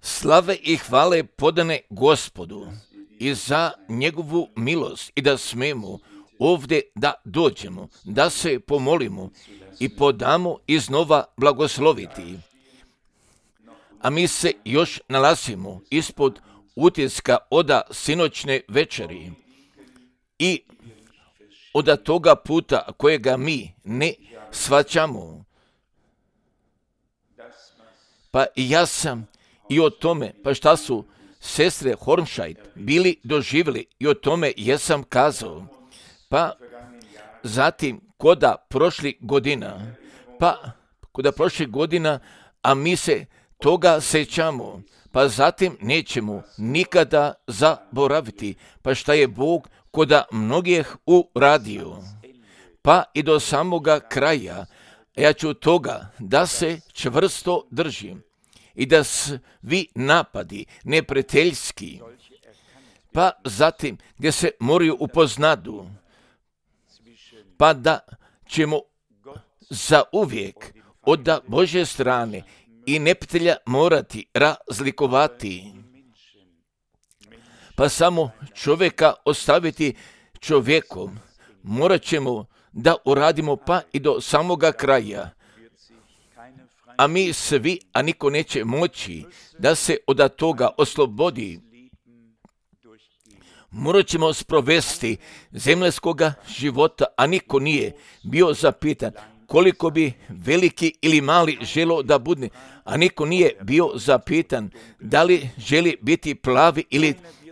Slave i hvale podane Gospodu i za njegovu milost i da smemo ovdje da dođemo, da se pomolimo i podamo iznova blagosloviti. A mi se još nalazimo ispod utiska oda sinoćne večeri i od toga puta kojega mi ne shvaćamo. Pa i ja sam i o tome, pa šta su sestre Hornscheid bili doživjeli i o tome jesam kazao. Pa zatim koda prošlih godina, a mi se toga sećamo, pa zatim nećemo nikada zaboraviti, pa šta je Bog koda mnogih uradio. Pa i do samoga kraja, ja ću toga da se čvrsto držim i da svi napadi neprijateljski, pa zatim gdje se moraju upoznadu, pa da ćemo zauvijek od Božje strane i neprijatelja morati razlikovati, pa samo čovjeka ostaviti čovjekom, morat ćemo da uradimo pa i do samoga kraja. A mi svi, a niko neće moći da se od toga oslobodi. Morat ćemo sprovesti zemljanskoga života, a niko nije bio zapitan koliko bi veliki ili mali želo da bude, a niko nije bio zapitan da li želi biti plavi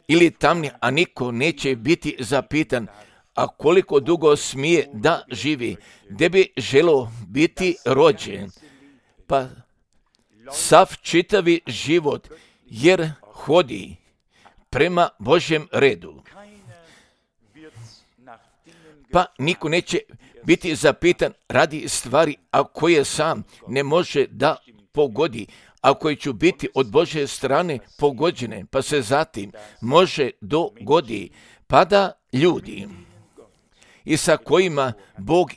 ili tamni, a niko neće biti zapitan a koliko dugo smije da živi, gdje bi želo biti rođen. Pa sav čitavi život, jer hodi prema Božjem redu. Pa niko neće biti zapitan radi stvari, a koje sam ne može da pogodi, a koje će biti od Božje strane pogođene, pa se zatim može dogodi, pa da ljudi i sa kojima Bog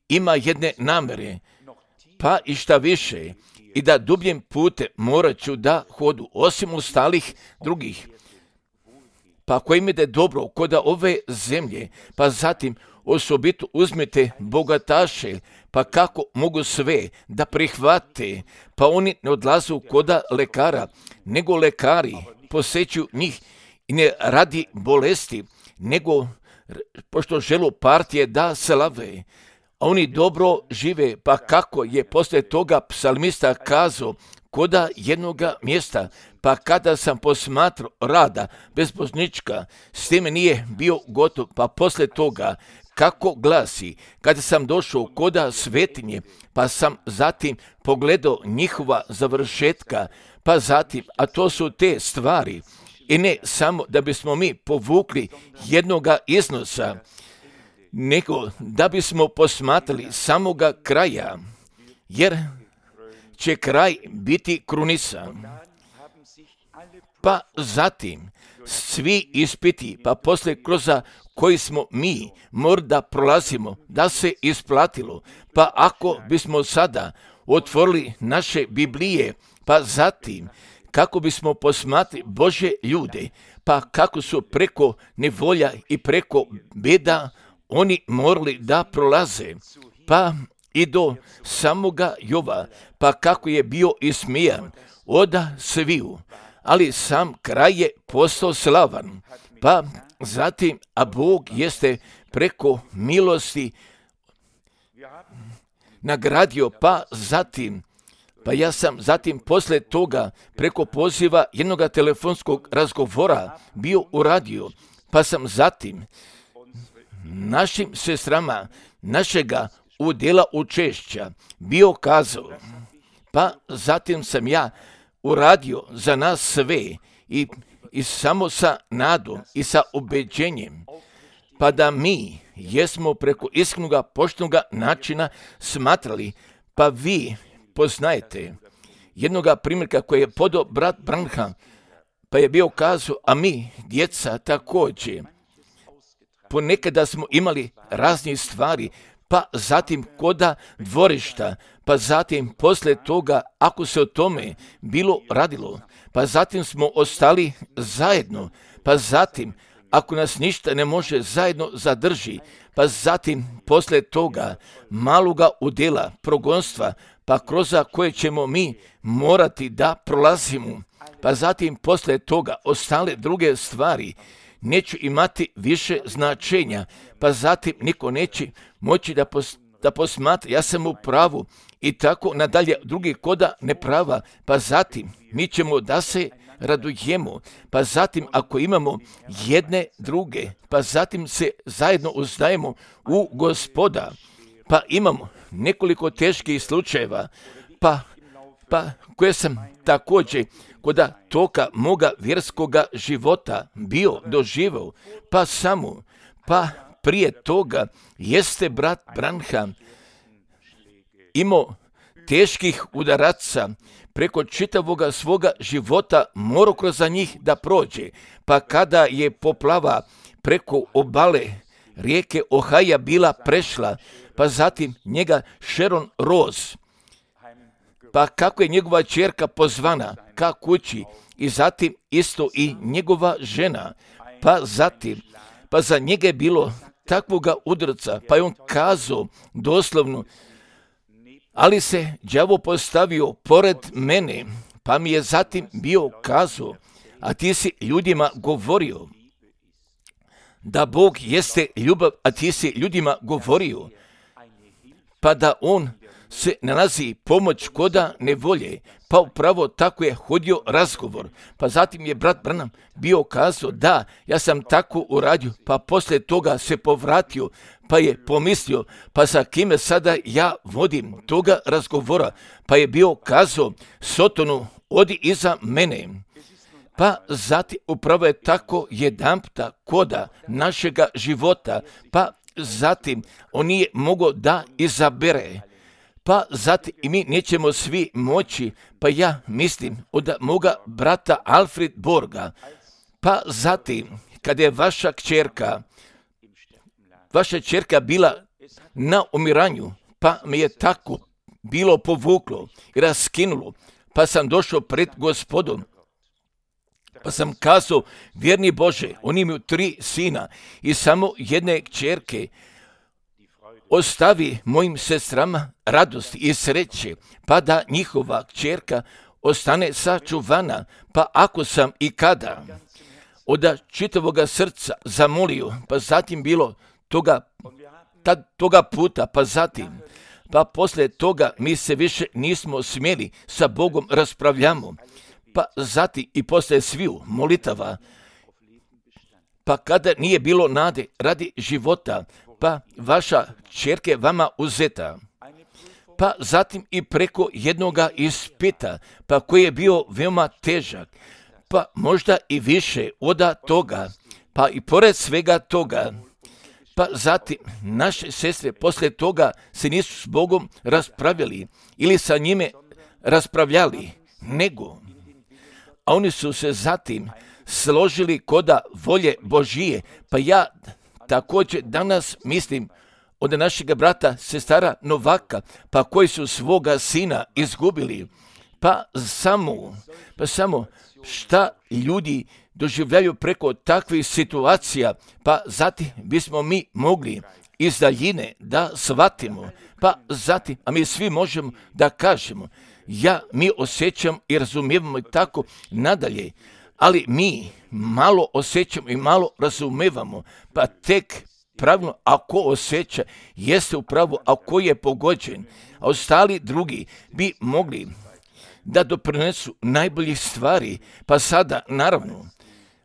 ima jedne namere, pa i šta više, i da dubljim putem morat ću da hodu, osim ostalih drugih, pa koji mi da je dobro kod ove zemlje, pa zatim osobito uzmete bogataše, pa kako mogu sve da prihvate, pa oni ne odlaze kod lekara, nego lekari posećuju njih i ne radi bolesti, nego pošto želu partije da slave, a oni dobro žive, pa kako je poslije toga psalmista kazao koda jednoga mjesta, pa kada sam posmatrao rada bezbožnička, s time nije bio gotov, pa poslije toga kako glasi, kada sam došao koda svetinje, pa sam zatim pogledao njihova završetka, pa zatim, a to su te stvari, i ne samo da bismo mi povukli jednoga iznosa, nego da bismo posmatrali samoga kraja, jer će kraj biti krunisan. Pa zatim svi ispiti, pa poslije kroz koji smo mi možda prolazimo, da se isplatilo, pa ako bismo sada otvorili naše Biblije, pa zatim kako bismo posmatrali Božje ljude, pa kako su preko nevolja i preko beda oni morali da prolaze, pa i do samoga Jova, pa kako je bio ismijan od sviju, ali sam kraj je postao slavan, pa zatim, a Bog jeste preko milosti nagradio, pa zatim, pa ja sam zatim poslije toga preko poziva jednog telefonskog razgovora bio uradio, pa sam zatim našim sestrama našega udjela učešća bio kazao, pa zatim sam ja uradio za nas sve i samo sa nadom i sa ubeđenjem, pa da mi jesmo preko iskrenog poštenog načina smatrali, pa vi poznajete jednoga primjerka koji je podao brat Branham, pa je bio kazao, a mi, djeca, također, ponekada smo imali raznih stvari, pa zatim koda dvorišta, pa zatim poslije toga, ako se o tome bilo radilo, pa zatim smo ostali zajedno, pa zatim, ako nas ništa ne može zajedno zadrži, pa zatim poslije toga maloga udjela progonstva, pa kroz koje ćemo mi morati da prolazimo, pa zatim poslije toga ostale druge stvari neću imati više značenja, pa zatim niko neće moći da posmatra, ja sam u pravu i tako nadalje, drugi koda neprava, pa zatim mi ćemo da se radujemo, pa zatim ako imamo jedne druge, pa zatim se zajedno uzdajemo u Gospoda, pa imamo nekoliko teških slučajeva, pa koje sam također kod toka moga vjerskoga života bio doživao, pa prije toga jeste brat Branham imao teških udaraca preko čitavoga svoga života, morao kroz njih da prođe, pa kada je poplava preko obale rijeke Ohaja bila prešla, pa zatim njega Sharon Rose, pa kako je njegova ćerka pozvana ka kući i zatim isto i njegova žena, pa zatim, pa za njega je bilo takvoga udarca, pa je on kazao doslovno, ali se đavo postavio pored mene, pa mi je zatim bio kazao, a ti si ljudima govorio da Bog jeste ljubav, a ti si ljudima govorio, pa da on se nalazi pomoć koda nevolje, pa upravo tako je hodio razgovor. Pa zatim je brat Branham bio kazao, da, ja sam tako uradio, pa poslije toga se povratio, pa je pomislio, pa sa kime sada ja vodim toga razgovora, pa je bio kazao, Sotonu, odi iza mene. Pa zatim upravo je tako jedanputa koda našega života, pa zatim on nije mogao da izabere. Pa zatim i mi nećemo svi moći, pa ja mislim od moga brata Alfred Borga, pa zatim kada je vaša kćerka bila na umiranju, pa me je tako bilo povuklo i raskinulo, pa sam došao pred Gospodom, pa sam kazao, vjerni Bože, oni imaju 3 sina i samo jedne kćerke, ostavi mojim sestrama radost i sreće, pa da njihova kćerka ostane sačuvana, pa ako sam i kada od čitavoga srca zamolio, pa zatim bilo toga puta, pa zatim, pa poslije toga mi se više nismo smjeli sa Bogom raspravljamo, pa zatim i poslije sviju molitava, pa kada nije bilo nade radi života, pa vaša kćerka je vama uzeta, pa zatim i preko jednoga ispita, pa koji je bio veoma težak, pa možda i više od toga, pa i pored svega toga, pa zatim naše sestre poslije toga se nisu s Bogom raspravljali ili sa njime raspravljali, nego, a oni su se zatim složili koda volje Božije, pa ja također danas mislim od našega brata sestara Novaka, pa koji su svoga sina izgubili, pa samo šta ljudi doživljaju preko takvih situacija, pa zatim bismo mi mogli iz daljine da shvatimo, pa zatim, a mi svi možemo da kažemo, mi osjećam i razumijevamo i tako nadalje, ali mi malo osjećamo i malo razumijevamo, pa tek pravilno ako osjeća jeste upravo ako je pogođen, a ostali drugi bi mogli da doprinesu najboljih stvari, pa sada naravno,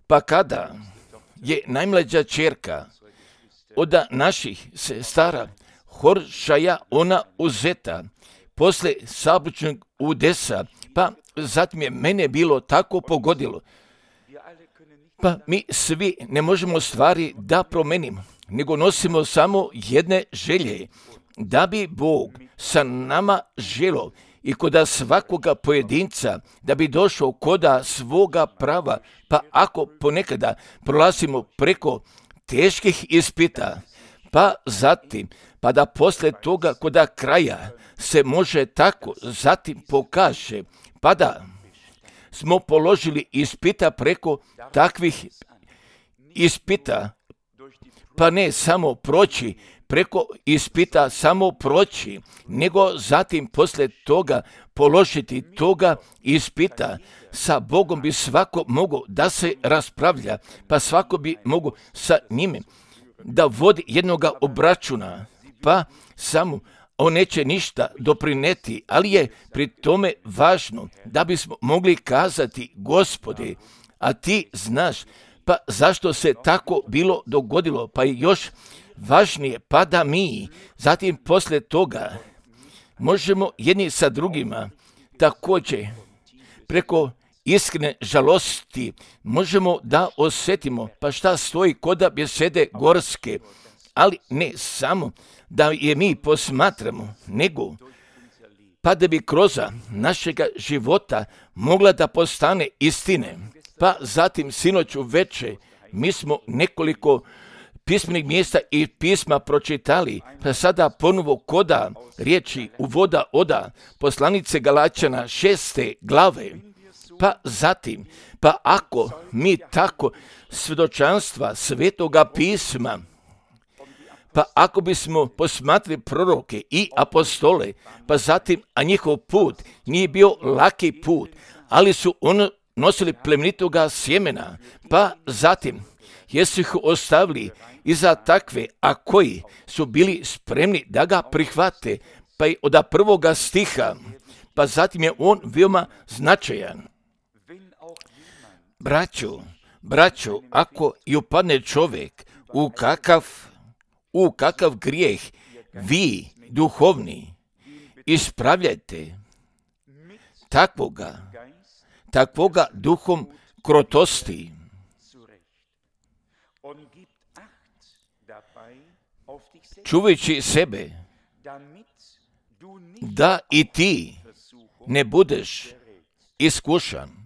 pa kada je najmlađa ćerka od naših sestara Horšaja ona uzeta posle saobraćajnog udesa, pa zatim je mene bilo tako pogodilo, pa mi svi ne možemo stvari da promenimo, nego nosimo samo jedne želje, da bi Bog sa nama želio i koda svakoga pojedinca, da bi došao koda svoga prava, pa ako ponekada prolazimo preko teških ispita, pa zatim, pa da poslije toga koda kraja se može tako zatim pokaže, pa da smo položili ispita preko takvih ispita, pa ne samo proći, preko ispita samo proći, nego zatim poslije toga položiti toga ispita. Sa Bogom bi svako mogao da se raspravlja, pa svako bi mogao sa njime da vodi jednoga obračuna, pa samo on neće ništa doprineti, ali je pri tome važno da bismo mogli kazati, Gospode, a ti znaš, pa zašto se tako bilo dogodilo, pa je još važnije, pa da mi zatim poslije toga možemo jedni sa drugima također preko iskrene žalosti možemo da osjetimo, pa šta stoji koda besede gorske, ali ne samo da je mi posmatramo, nego pa da bi kroz našega života mogla da postane istine. Pa zatim sinoć uveče mi smo nekoliko pismenih mjesta i pisma pročitali, pa sada ponovo koda riječi uvoda oda poslanice Galačana 6. glave, pa zatim, pa ako mi tako svjedočanstva Svetoga pisma, pa ako bismo posmatrali proroke i apostole, pa zatim, a njihov put nije bio laki put, ali su nosili plemenitoga sjemena, pa zatim, jesu ih ostavili iza takve, a koji su bili spremni da ga prihvate, pa i od prvoga stiha, pa zatim je on veoma značajan. Braćo, ako i upadne čovjek u kakav grijeh, vi, duhovni, ispravljajte takvoga duhom krotosti. Čuvajući sebe, da i ti ne budeš iskušan.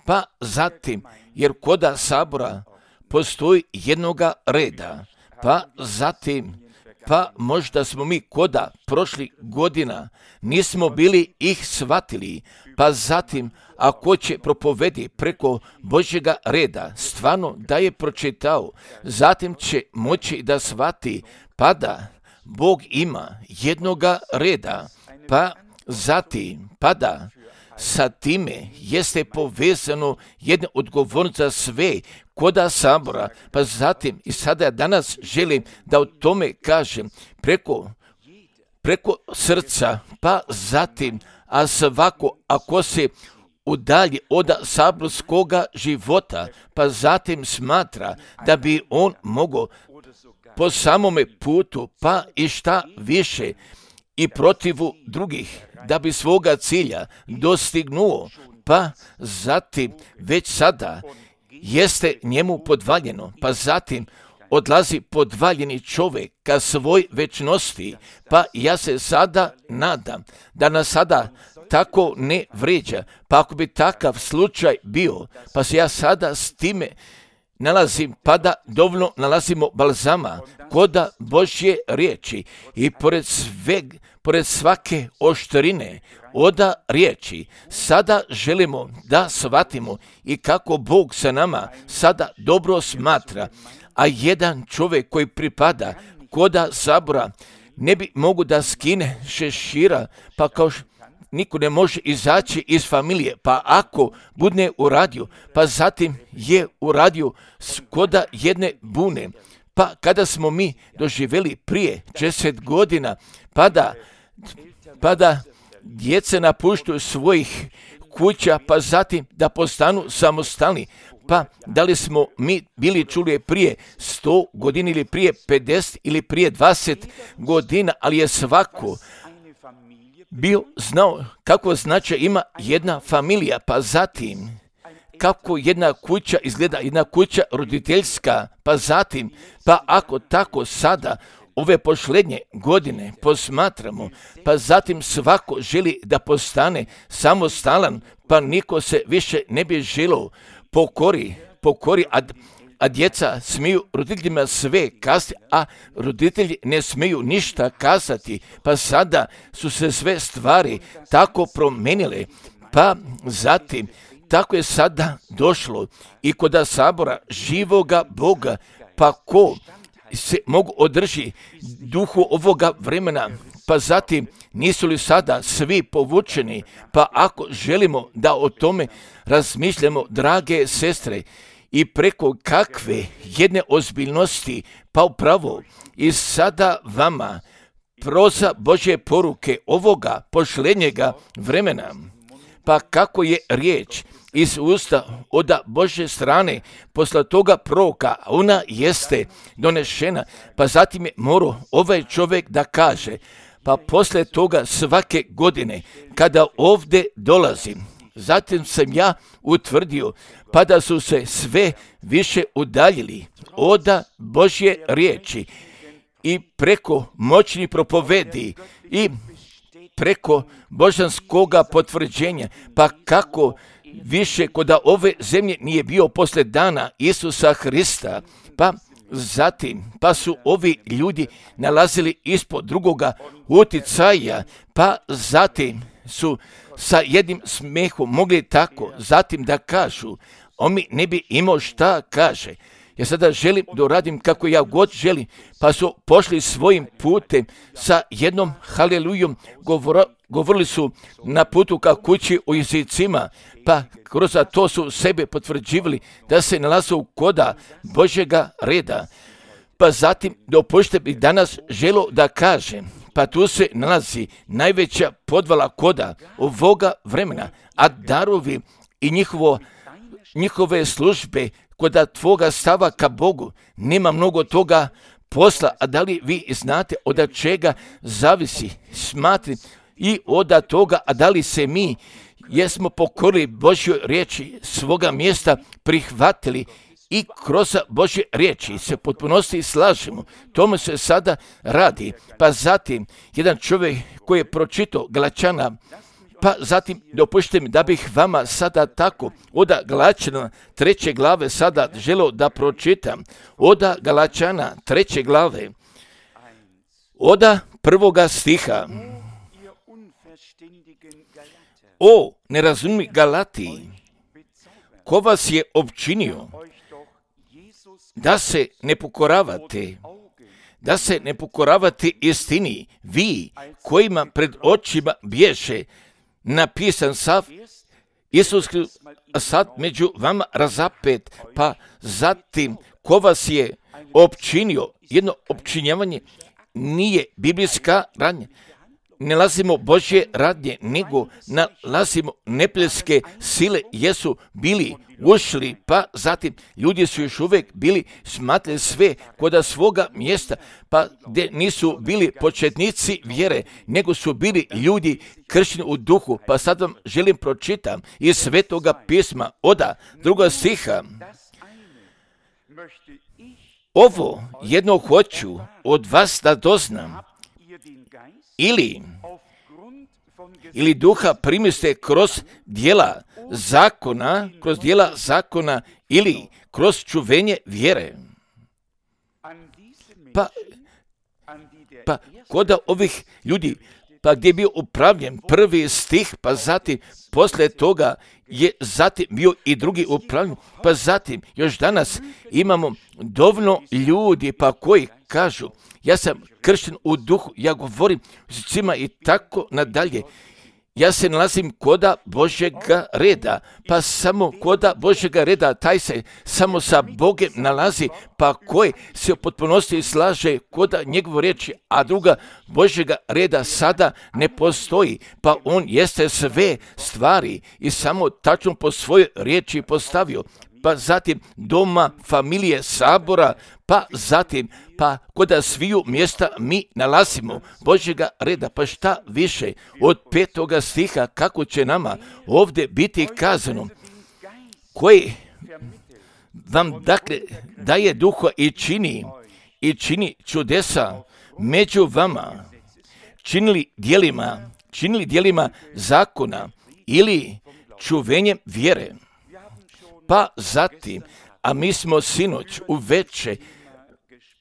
Pa zatim, jer koda sabora postoji jednoga reda, pa zatim, pa možda smo mi koda prošlih godina nismo bili ih shvatili, pa zatim, ako će propovedi preko Božjega reda, stvarno da je pročitao, zatim će moći da shvati, pa da Bog ima jednoga reda, pa zatim, pa da sa time jeste povezano jedna odgovornost za sve koda sabora, pa zatim i sada ja danas želim da o tome kažem preko srca, pa zatim, a svako ako se udalji od saborskoga života, pa zatim smatra da bi on mogao po samome putu, pa i šta više i protivu drugih, da bi svoga cilja dostignuo, pa zatim već sada jeste njemu podvaljeno, pa zatim odlazi podvaljeni čovjek ka svoj večnosti, pa ja se sada nadam da nas sada tako ne vrijeđa, pa ako bi takav slučaj bio, pa se ja sada s time nalazim, pa da dovoljno nalazimo balzama koda Božje riječi i pored svake oštrine oda riječi, sada želimo da shvatimo i kako Bog sa nama sada dobro smatra, a jedan čovjek koji pripada koda sabora ne bi mogu da skine šešira, pa kao niko ne može izaći iz familije, pa ako budne uradio, pa zatim je uradio koda jedne bune, pa kada smo mi doživjeli prije 10 godina, pa da djeca napuštaju svojih kuća, pa zatim da postanu samostalni, pa da li smo mi bili čuli prije 100 godina ili prije 50 ili prije 20 godina, ali je svako bio znao kako značaj ima jedna familija, pa zatim kako jedna kuća izgleda, jedna kuća roditeljska, pa zatim, pa ako tako sada ove posljednje godine posmatramo, pa zatim svako želi da postane samostalan, pa niko se više ne bi želio pokori, a djeca smiju roditeljima sve kazati, a roditelji ne smiju ništa kazati. Pa sada su se sve stvari tako promenile, pa zatim tako je sada došlo i kod sabora živoga Boga, pa ko se mogu održi duhu ovoga vremena, pa zatim nisu li sada svi povučeni? Pa ako želimo da o tome razmišljamo, drage sestre, i preko kakve jedne ozbiljnosti, pa upravo i sada vama proza Božje poruke ovoga pošlenjega vremena, pa kako je riječ iz usta od Božje strane posle toga proroka, ona jeste donešena, pa zatim je morao ovaj čovjek da kaže, pa posle toga svake godine kada ovdje dolazim, zatim sam ja utvrdio, pa da su se sve više udaljili od Božje riječi i preko moćnih propovedi i preko božanskoga potvrđenja, pa kako više kod ove zemlje nije bio posle dana Isusa Hrista, pa zatim, pa su ovi ljudi nalazili ispod drugoga uticaja, pa zatim su sa jednim smehom mogli tako zatim da kažu, on mi ne bi imao šta kaže. Ja sada želim da uradim kako ja god želim, pa su pošli svojim putem sa jednom halelujom, govorili su na putu ka kući u jezicima, pa kroz to su sebe potvrđivali da se nalaze u koda Božjega reda. Pa zatim dopustite bih danas želo da kažem, pa tu se nalazi najveća podvala koda ovoga vremena, a darovi i njihove službe kod tvoga stava ka Bogu nema mnogo toga posla, a da li vi znate od čega zavisi, smatri i od toga, a da li se mi jesmo pokorili Božjoj riječi, svoga mjesta prihvatili i kroz Božje riječi se potpunosti slažemo. Tome se sada radi. Pa zatim jedan čovjek koji je pročitao Galačana, pa zatim dopustite mi da bih vama sada tako od Galačana 3. glave sada želeo da pročitam. Od Galačana 3. glave, od 1. stiha. O nerazumni Galatiji, ko vas je opčinio da se ne pokoravate istini, vi kojima pred očima bješe napisan sav Isus sad među vama razapet, pa zatim ko vas je opčinio, jedno opčinjavanje nije biblijska radnja. Ne nalazimo Božje radnje, nego nalazimo neprijateljske sile, jesu bili ušli, pa zatim ljudi su još uvijek bili smatrali sve kod svoga mjesta, pa gdje nisu bili početnici vjere, nego su bili ljudi kršćeni u duhu. Pa sad vam želim pročitam iz Svetoga pisma od 2. stiha. Ovo jedno hoću od vas da doznam, ili duha primiste kroz dijela zakona ili kroz čuvenje vjere. Pa kod ovih ljudi, pa gdje je bio upravljen 1. stih, pa zatim poslije toga je zatim bio i drugi upravljen, pa zatim još danas imamo dovoljno ljudi pa koji kažu, ja sam kršten u duhu, ja govorim svima i tako nadalje. Ja se nalazim koda Božjega reda, pa samo koda Božjega reda, taj se samo sa Bogem nalazi, pa koji se u potpunosti slaže koda njegovu riječi, a druga Božjega reda sada ne postoji, pa on jeste sve stvari i samo tačno po svojoj riječi postavio. Pa zatim doma, familije, sabora, pa zatim, pa koda sviju mjesta mi nalazimo Božjega reda. Pa šta više od 5. stiha, kako će nama ovdje biti kazano, koji vam dakle daje duha i čini čudesa među vama, činili dijelima zakona ili čuvenjem vjere. Pa zatim, A mi smo sinoć uveče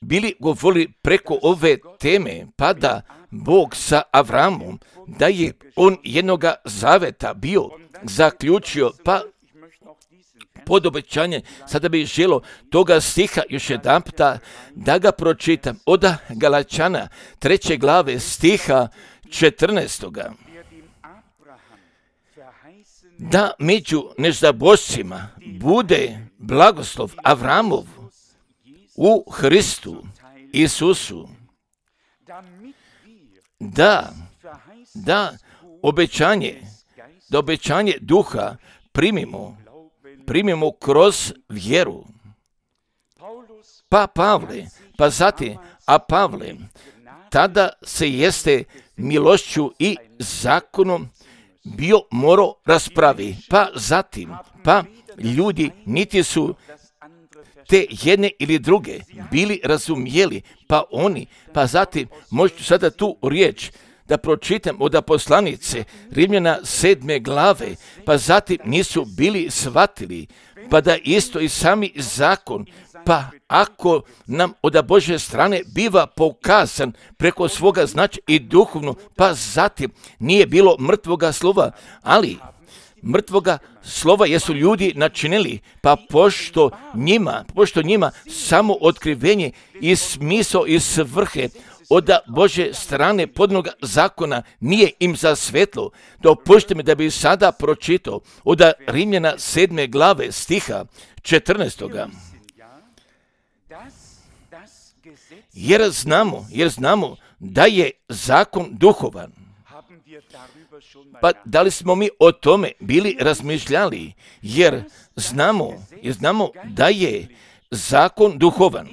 bili govorili preko ove teme, pa da Bog sa Avramom, da je on jednoga zaveta bio zaključio, pa pod obećanje, sada bih želio toga stiha još jedanputa da ga pročitam od Galačana 3. glave stiha 14. Da među nezabošcima bude blagoslov Avramov u Hristu Isusu, da obećanje duha primimo kroz vjeru. Pa Pavle, Pavle, tada se jeste milošću i zakonom bio morao raspravi, pa zatim, ljudi niti su te jedne ili druge bili razumjeli, pa zatim, možete sada tu riječ da pročitam od poslanice Rimljana 7. glave, pa zatim nisu bili shvatili, pa da isto i sami zakon, pa ako nam od Božje strane biva pokazan preko svoga značaja i duhovno, pa zatim nije bilo mrtvoga slova, ali mrtvoga slova jesu ljudi načinili, pa pošto njima samo otkrivenje i smisao i svrhe od Božje strane podnog zakona nije im za svetlo. Dopustite mi da bi sada pročitao od Rimljana 7. glave stiha 14. Jer znamo da je zakon duhovan. Pa da li smo mi o tome bili razmišljali? Jer znamo da je zakon duhovan.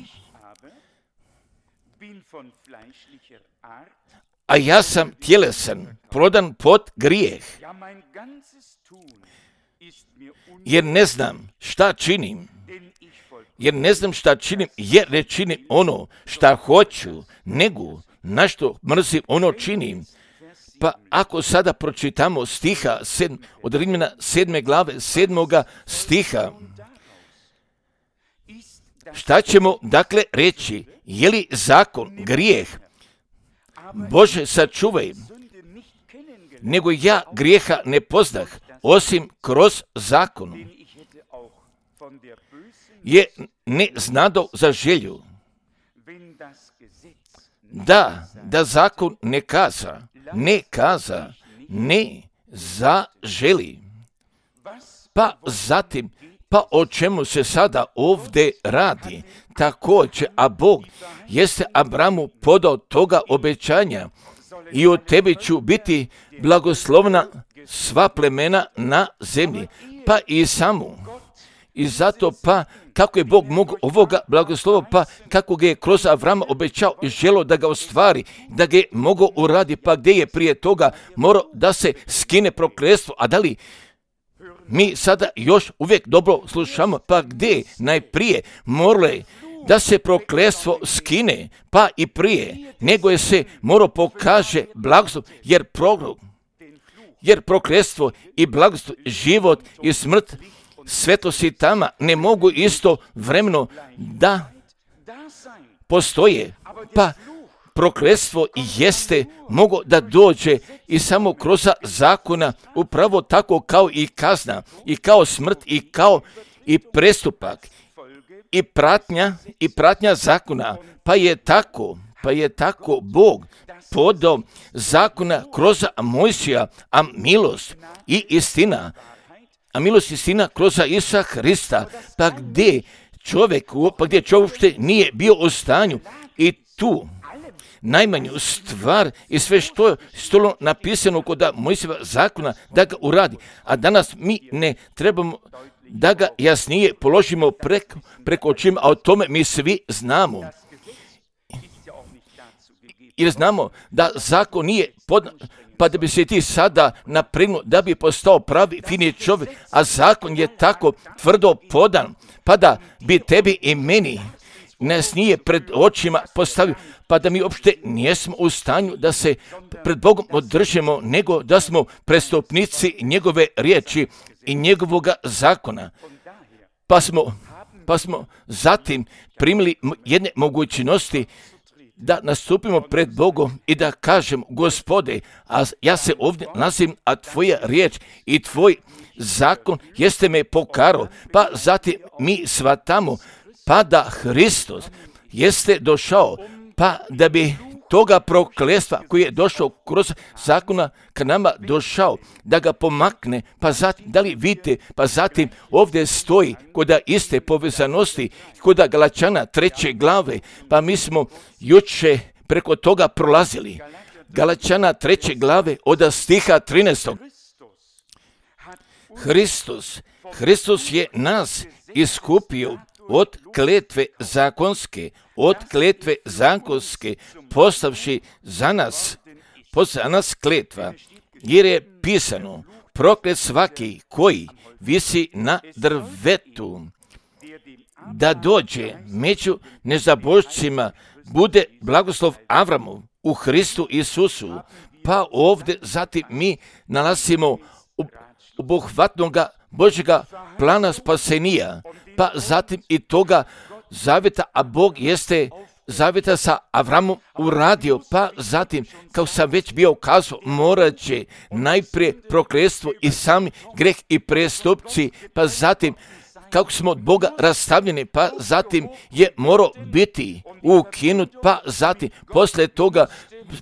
A ja sam tjelesan, prodan pod grijeh. Jer ne znam šta činim, jer ne činim ono šta hoću, nego na što mrzim ono činim. Pa ako sada pročitamo stiha od Rimljana 7. glave 7. stiha, šta ćemo dakle reći? Je li zakon grijeh? Bože, sačuvaj, nego ja grijeha ne pozdah, osim kroz zakon. Je ne znado za želju. Da zakon ne kaza, ne zaželi. Pa zatim, o čemu se sada ovdje radi? Također, a Bog jeste Abramu podao toga obećanja i od tebe ću biti blagoslovna sva plemena na zemlji. Pa i samu. I zato kako je Bog mogao ovoga blagoslova, kako ga je kroz Avrama obećao i želio da ga ostvari, da ga je mogao uraditi, pa gdje je prije toga morao da se skine prokletstvo, a da li mi sada još uvijek dobro slušamo, pa gdje najprije moralo da se prokletstvo skine, pa i prije, nego je se morao pokaže blagoslov, jer prokletstvo i blagoslov, život i smrt, svetlost i tama ne mogu isto vremeno da postoje, pa prokletstvo jeste mogo da dođe i samo kroz zakona, upravo tako kao i kazna, i kao smrt, i kao i prestupak, i pratnja zakona, pa je tako Bog podao zakona kroz Mojsija, a milost i istina kroz Isusa Hrista, pa gdje čovjek uopšte nije bio u stanju i tu najmanju stvar i sve što je stolo napisano kod Mojsijeva zakona da ga uradi. A danas mi ne trebamo da ga jasnije položimo preko očima, a o tome mi svi znamo. Jer znamo da zakon nije pa da bi se ti sada napregnuo da bi postao pravi fini čovjek, a zakon je tako tvrdo podan, pa da bi tebi i meni nas nije pred očima postavio, pa da mi uopšte nijesmo u stanju da se pred Bogom održimo, nego da smo prestupnici njegove riječi i njegovoga zakona. Pa smo pa smo zatim primili jedne mogućnosti da nastupimo pred Bogom i da kažem, Gospode, a ja se ovdje nalazim, a tvoja riječ i tvoj zakon jeste me pokarao, pa zatim mi shvatamo, pa da Hristos jeste došao, pa da bi toga prokletstva koji je došao kroz zakona k nama došao, da ga pomakne, pa zatim, da li vidite, pa zatim ovdje stoji kod iste povezanosti, kod Galačana 3. glave, pa mi smo juče preko toga prolazili. Galačana 3. glave od stiha 13. Hristos je nas iskupio od kletve zakonske, postavši za nas kletva, jer je pisano, proklet svaki koji visi na drvetu, da dođe među nezabožcima, bude blagoslov Avramov u Hristu Isusu. Pa ovdje zatim mi nalazimo obuhvatnoga Božjega plana spasenija, pa zatim i toga zavjeta, a Bog jeste zavjeta sa Avramom uradio, pa zatim, kao sam već bio kazao, morat će najprije prokletstvo i sami greh i prestupci, pa zatim, kako smo od Boga rastavljeni, pa zatim je morao biti ukinut, pa zatim, poslije toga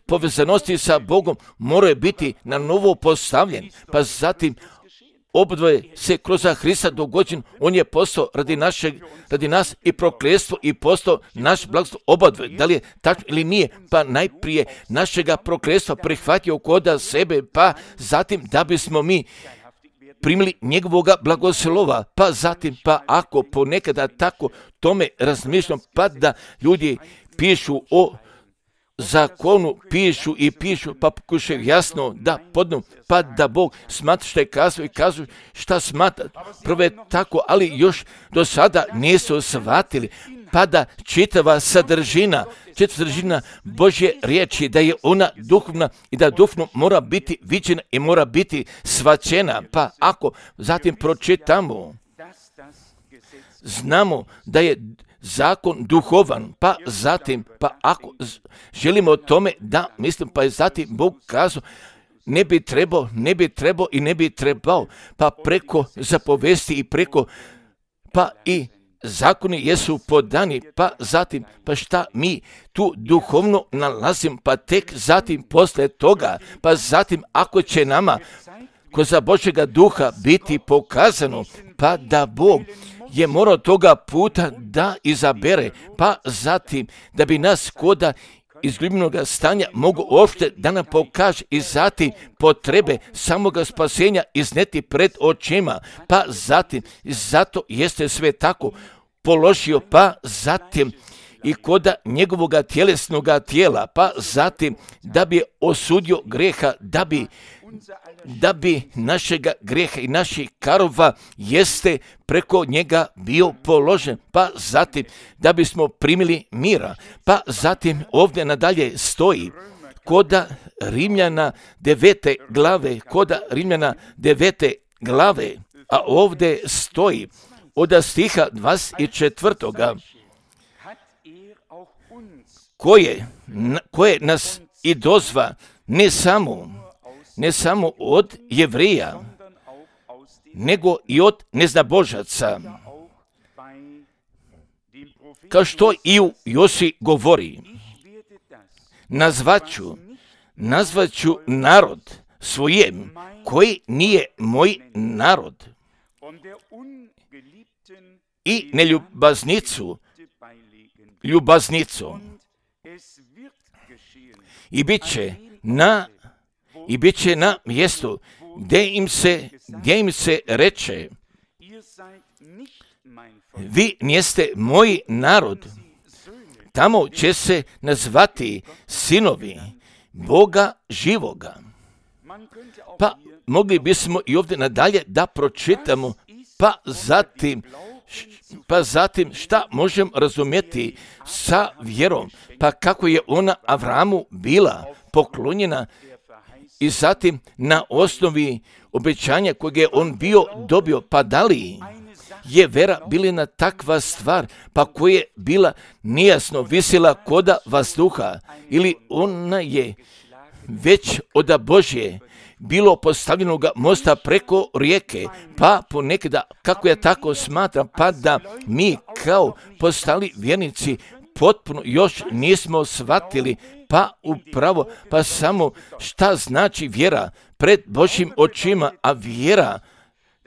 povezanosti sa Bogom morao je biti na novo postavljen, pa zatim obdvoje se kroz Hrista dogođen, on je postao radi nas i prokletstvo i postao naš blagoslov obadvoje. Da li je tačno ili nije? Pa najprije našega prokletstva prihvatio kod sebe, pa zatim da bismo mi primili njegovoga blagoslova, pa zatim, pa ako ponekada tako tome razmišljam, pa da ljudi pišu o zakonu, pišu, pa pokušaju jasno da podnu, pa da Bog smatra što je kazao i kažu šta smatra. Prvo je tako, ali još do sada nisu shvatili, pa da čitava sadržina Božje riječi, da je ona duhovna i da duhovno mora biti viđena i mora biti shvaćena. Pa ako zatim pročitamo, znamo da je zakon duhovan, pa zatim, pa ako želimo o tome da mislim, pa je zatim Bog kazao, ne bi trebao, pa preko zapovesti i preko, pa i zakoni jesu podani, pa zatim, pa šta mi tu duhovno nalazim, pa tek zatim posle toga, pa zatim ako će nama kroz Božjega duha biti pokazano, pa da Bog je morao toga puta da izabere, pa zatim da bi nas koda izgubljenog stanja mogu uopšte da nam pokaže i zatim potrebe samoga spasenja izneti pred očima, pa zatim, zato jeste sve tako položio, pa zatim i koda njegovoga tjelesnoga tijela, pa zatim da bi osudio greha, da bi našega greha i naših karova jeste preko njega bio položen, pa zatim da bismo primili mira, pa zatim ovdje nadalje stoji koda Rimljana 9. glave, a ovdje stoji od stiha 24. koje nas i dozva ne samo od Jevrija, nego i od neznabožaca. Kao što i u Josi govori, nazvaću narod svojem koji nije moj narod i neljubaznicu ljubaznicom. I bit će na mjestu gdje im se reče, vi niste moj narod. Tamo će se nazvati sinovi Boga živoga. Pa mogli bismo i ovdje nadalje da pročitamo, pa zatim šta možemo razumjeti sa vjerom, pa kako je ona Avramu bila poklonjena i zatim na osnovi obećanja kojeg je on bio dobio, pa da li je vera bila takva stvar, pa koja je bila nejasno visila koda vazduha, ili ona je već od Božje bilo postavljenoga mosta preko rijeke, pa ponekada, kako ja tako smatram, pa da mi kao postali vjernici potpuno još nismo shvatili, pa upravo, pa samo šta znači vjera pred Božjim očima, a vjera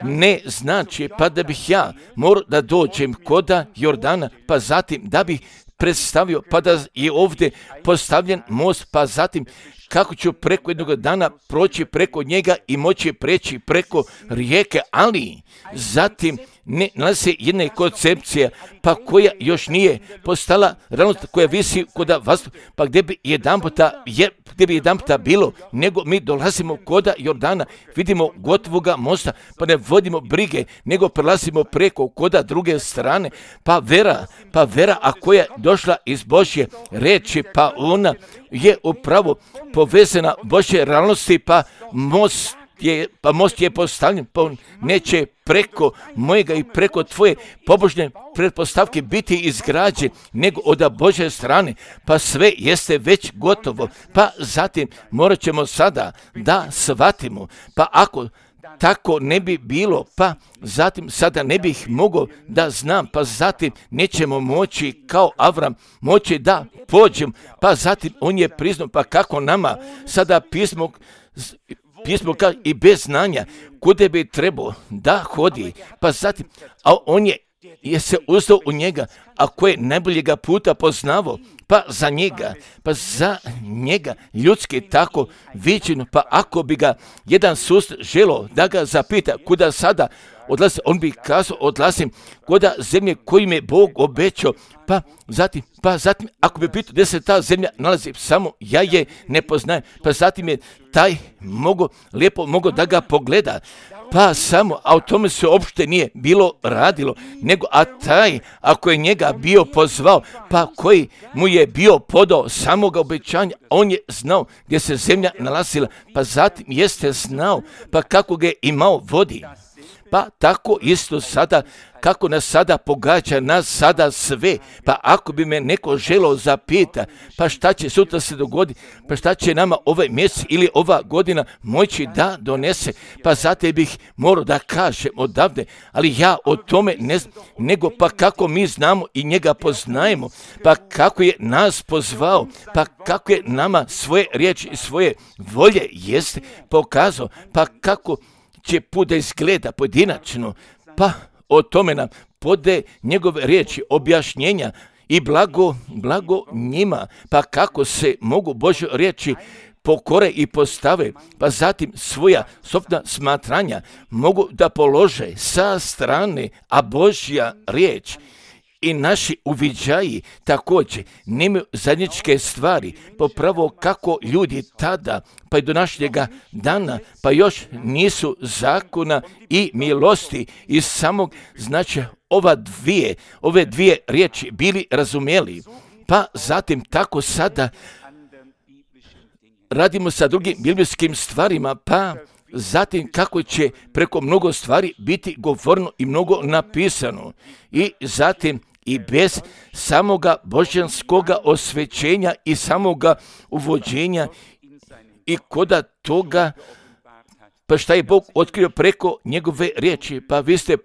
ne znači pa da bih ja morao da dođem koda Jordana, pa zatim da bih predstavio, pa da je ovdje postavljen most, pa zatim kako ću preko jednog dana proći preko njega i moći preći preko rijeke, ali zatim ne nalazi jedna koncepcija, pa koja još nije postala realnost, koja visi koda vas, pa gdje bi jedan puta bilo, nego mi dolazimo koda Jordana, vidimo gotovoga mosta, pa ne vodimo brige, nego prelazimo preko koda druge strane, pa vera, a koja je došla iz Božje reči, pa ona je upravo povezana Božje realnosti, pa most je postavljen, pa on neće preko mojega i preko tvoje pobožne pretpostavke biti izgrađen, nego od Božje strane, pa sve jeste već gotovo, pa zatim morat ćemo sada da shvatimo, pa ako tako ne bi bilo, pa zatim sada ne bih mogao da znam, pa zatim nećemo moći kao Avram moći da pođem, pa zatim on je priznao, pa kako nama sada pismo kao i bez znanja kude bi trebao da hodi, pa zatim, a on je se uzdao u njega, a koje najboljega puta poznavao, pa za njega ljudski tako viđeno, pa ako bi ga jedan sust želio da ga zapita kuda sada odlazi, on bi kazao odlazim kuda zemlje koju mi je Bog obećao, pa zatim ako bi pitao gdje se ta zemlja nalazi, samo ja je ne poznajem, pa zatim je taj lijepo mogao da ga pogleda, pa samo, a o tome se uopšte nije bilo radilo, nego a taj, ako je njega bio pozvao, pa koji mu je bio podao samoga obećanja, on je znao gdje se zemlja nalazila, pa zatim jeste znao, pa kako ga je imao vodi. Pa tako isto sada, kako nas sada pogađa, nas sada sve, pa ako bi me neko želeo zapita, pa šta će sutra se dogoditi, pa šta će nama ovaj mjesec ili ova godina moći da donese, pa zato bih morao da kažem odavde, ali ja o tome ne znam, nego pa kako mi znamo i njega poznajemo, pa kako je nas pozvao, pa kako je nama svoje riječi i svoje volje jeste pokazao, pa kako će put da izgleda pojedinačno, pa o tome nam pode njegove riječi, objašnjenja i blago njima, pa kako se mogu Božje riječi pokore i postave, pa zatim svoja sopna smatranja mogu da polože sa strane, a Božja riječ i naši uviđaji također nemaju zajedničke stvari, popravo kako ljudi tada, pa i do našljega dana, pa još nisu zakona i milosti iz samog značaja ove dvije riječi bili razumjeli, pa zatim tako sada radimo sa drugim biblijskim stvarima, pa zatim kako će preko mnogo stvari biti govorno i mnogo napisano i zatim i bez samoga božanskoga osvećenja i samoga uvođenja i koda toga, pa šta je Bog otkrio preko njegove riječi, pa vi ste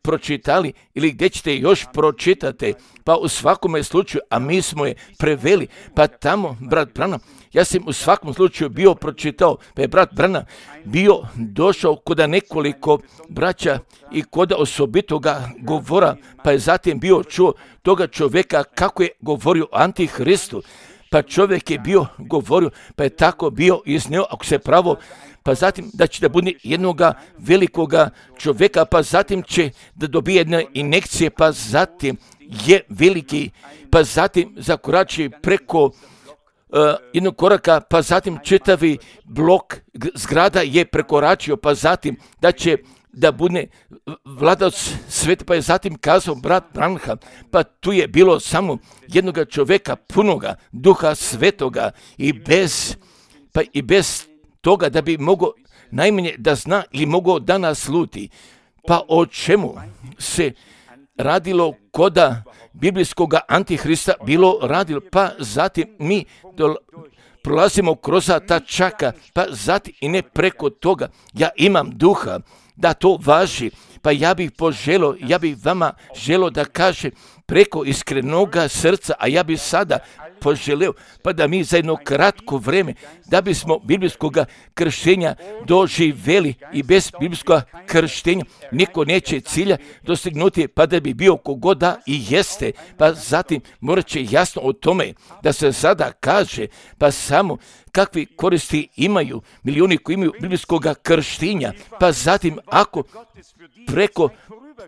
pročitali ili gdje ćete još pročitati, pa u svakome slučaju, a mi smo je preveli, pa tamo, brat Branham, ja sam u svakom slučaju bio pročitao, pa je brat Branham bio došao koda nekoliko braća i koda osobitoga govora, pa je zatim bio čuo toga čovjeka kako je govorio o Antihristu, pa čovjek je bio govorio, pa je tako bio iznio, ako se pravo, pa zatim da će da bude jednoga velikoga čovjeka, pa zatim će da dobije jedne injekcije, pa zatim je veliki, pa zatim zakorači preko jednog koraka, pa zatim čitavi blok zgrada je prekoračio, pa zatim da će da bude vladac sveta, pa je zatim kazao brat Branham, pa tu je bilo samo jednoga čovjeka punoga duha svetoga i bez toga da bi mogao najmanje da zna ili mogao da nas sluti, Pa o čemu se radilo koda biblijskog antihrista bilo radilo? Pa zatim mi prolazimo kroz ta čaka, pa zatim i ne preko toga. Ja imam duha da to važi, pa ja bih vama želio da kaže preko iskrenoga srca, a ja bih sada poželeo, pa da mi za jedno kratko vreme, da bismo biblijskog krštenja doživjeli i bez biblijskog krštenja niko neće cilja dostignuti, pa da bi bio kogoda i jeste, pa zatim morat će jasno o tome da se sada kaže, pa samo kakvi koristi imaju milijuni koji imaju biblijskog krštenja, pa zatim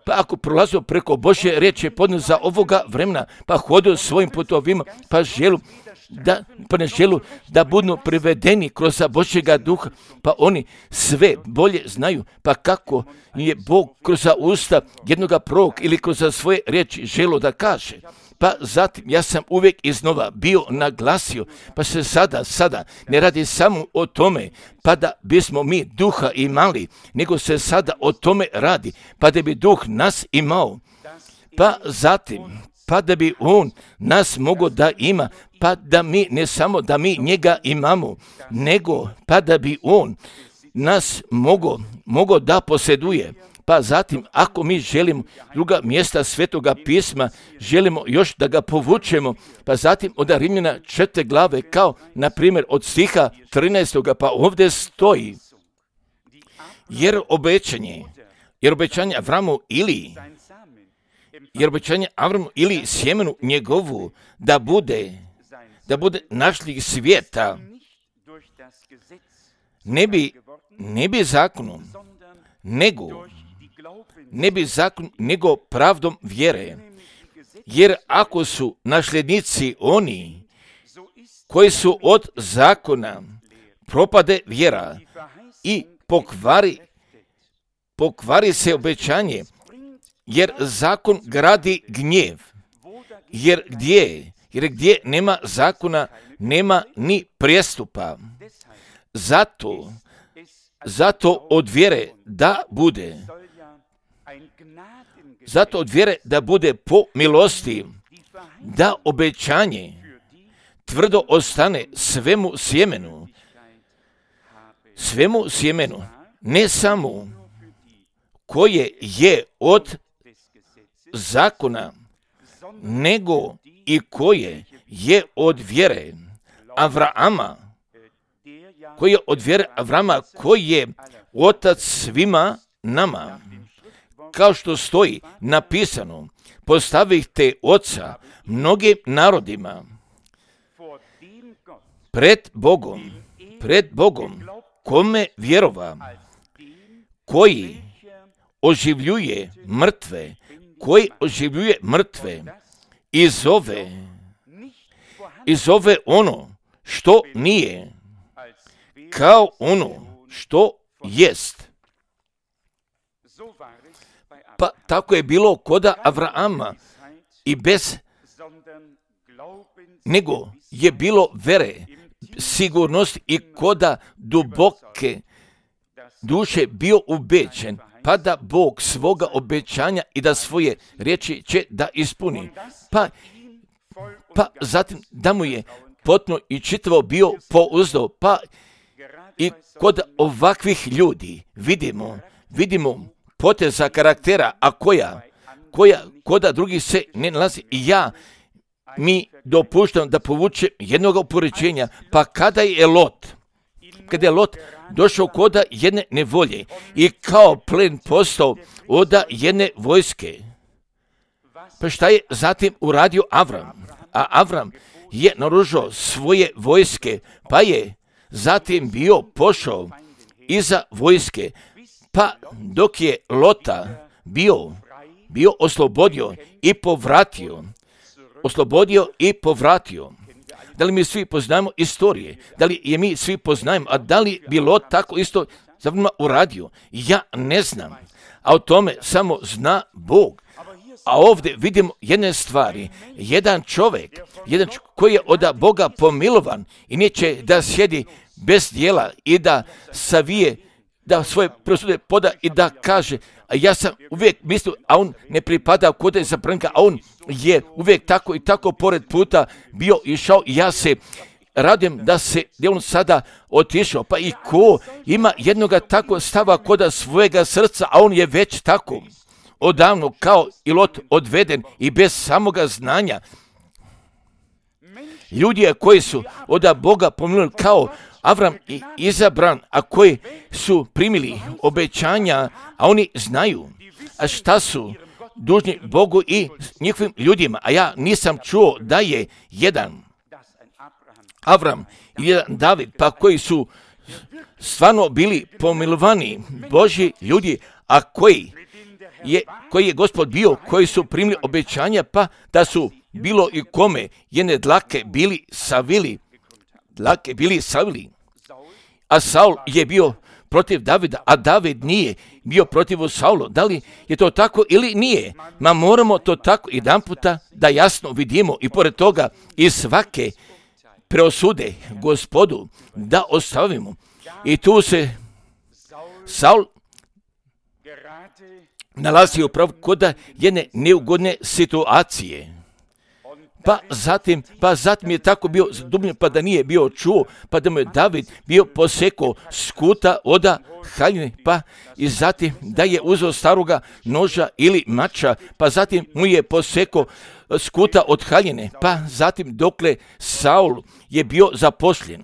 ako prolazio preko Božje riječi podne za ovoga vremena, pa hodio svojim putovima, pa ne želu da budu privedeni kroz Božjega duha, pa oni sve bolje znaju, pa kako je Bog kroz usta jednoga proroka ili kroz svoje riječi želo da kaže. Pa zatim ja sam uvijek iznova bio naglasio, pa se sada ne radi samo o tome, pa da bismo mi duha imali, nego se sada o tome radi, pa da bi duh nas imao, pa zatim, pa da bi on nas mogao da ima, pa da mi, ne samo da mi njega imamo, nego pa da bi on nas mogao da posjeduje. Pa zatim, ako mi želimo druga mjesta Svetoga pisma, želimo još da ga povučemo, pa zatim od Rimljana 4. glave, kao na primjer od stiha 13. pa ovdje stoji, jer obećanje Avramu ili sjemenu njegovu da bude našli svijeta, ne bi zakonom, nego pravdom vjere. Jer ako su nasljednici oni koji su od zakona, propade vjera i pokvari se obećanje, jer zakon gradi gnjev. Jer gdje nema zakona, nema ni prijestupa. Zato od vjere da bude po milosti, da obećanje tvrdo ostane svemu sjemenu, ne samo koje je od zakona, nego i koje je od vjere Avrama, koji je otac svima nama. Kao što stoji napisano, postavite oca mnogim narodima pred Bogom, kome vjerova, koji oživljuje mrtve i zove ono što nije kao ono što jest. Pa tako je bilo koda Avrama i nego je bilo vere, sigurnost i koda duboke duše bio ubeđen, pa da Bog svoga obećanja i da svoje riječi će da ispuni. Pa zatim da mu je potpuno i čitavo bio pouzdao, pa i kod ovakvih ljudi vidimo poteza karaktera, a koja koda drugih se ne nalazi. Mi dopuštam da povuče jednog upoređenja, pa kada je Lot došao koda jedne nevolje i kao plen postao od jedne vojske, pa šta je zatim uradio Avram? A Avram je naoružao svoje vojske, pa je zatim bio pošao iza vojske, pa dok je Lota bio oslobodio i povratio. Da li mi svi poznajemo istorije? Da li je mi svi poznajemo? A da li bi Lot tako isto za vremena uradio? Ja ne znam. A o tome samo zna Bog. A ovdje vidimo jedne stvari. Jedan čovjek koji je od Boga pomilovan i neće da sjedi bez djela i da savije da svoje presude poda i da kaže, a ja sam uvijek mislio, a on ne pripada kod je zapravnika, a on je uvijek tako i tako pored puta bio išao i ja se radim da je on sada otišao. Pa i ko ima jednoga tako stava koda svojega srca, a on je već tako odavno kao i Lot odveden i bez samoga znanja. Ljudi koji su od Boga pominuli kao Avram i izabran, a koji su primili obećanja, a oni znaju, a šta su dužni Bogu i njihovim ljudima. A ja nisam čuo da je jedan Avram i jedan David, pa koji su stvarno bili pomilovani Božji ljudi, a koji je Gospod bio, koji su primili obećanja, pa da su bilo i kome jedne dlake bili savili. A Saul je bio protiv Davida, a David nije bio protiv Saulu. Da li je to tako ili nije? Ma moramo to tako jedan puta da jasno vidimo i pored toga i svake preosude Gospodu da ostavimo. I tu se Saul nalazi upravo kod jedne neugodne situacije. Pa zatim je tako bio zadubljen, pa da nije bio čuo, pa da mu je David bio posekao skuta od haljine, pa i zatim da je uzeo staroga noža ili mača, pa zatim mu je posekao skuta od haljine, pa zatim dokle Saul je bio zaposlen.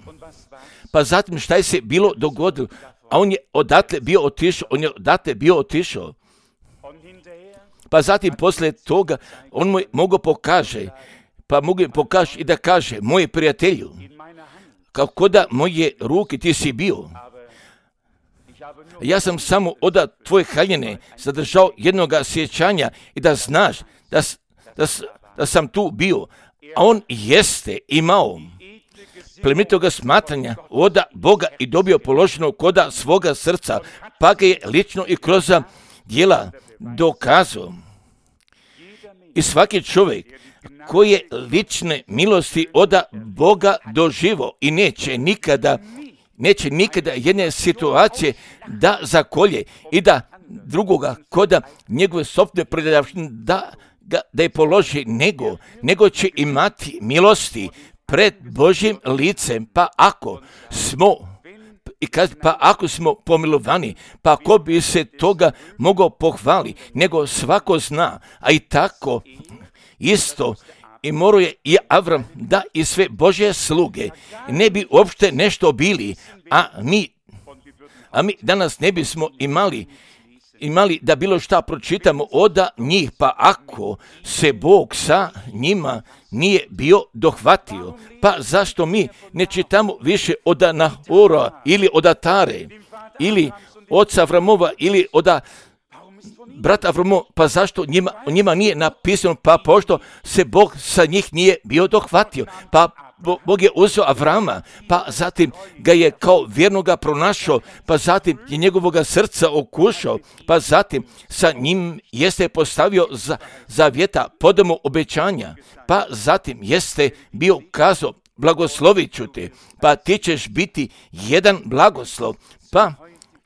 Pa zatim šta je se bilo dogodilo, a on je odatle bio otišao. Pa zatim posle toga on mu je mogao pokaže i da kaže, moje prijatelju, kako da moje ruke ti si bio. Ja sam samo od tvoje haljine zadržao jednoga sjećanja i da znaš da sam tu bio. A on jeste imao plemenitoga smatranja od Boga i dobio položeno koda svoga srca, pa ga je lično i kroz djela dokazao. I svaki čovjek koji je lične milosti od Boga doživo i neće nikada jedne situacije da zakolje i da drugoga koda njegove sopstvene predavštine da je položi, nego će imati milosti pred Božjim licem, pa ako smo pomilovani, pa ko bi se toga mogao pohvali, nego svako zna, a i tako isto i morao je i Avram da i sve Božje sluge ne bi uopšte nešto bili, a mi danas ne bismo imali da bilo šta pročitamo od njih, pa ako se Bog sa njima nije bio dohvatio, pa zašto mi ne čitamo više od Nahora ili od Tare ili oca Avramova ili od brata Avramo, pa zašto njima nije napisano, pa pošto se Bog sa njih nije bio dohvatio, pa Bog je uzeo Avrama, pa zatim ga je kao vjernoga pronašao, pa zatim je njegovoga srca okušao, pa zatim sa njim jeste postavio zavjeta, podamo obećanja, pa zatim jeste bio kazao, blagoslovit ću te, pa ti ćeš biti jedan blagoslov, pa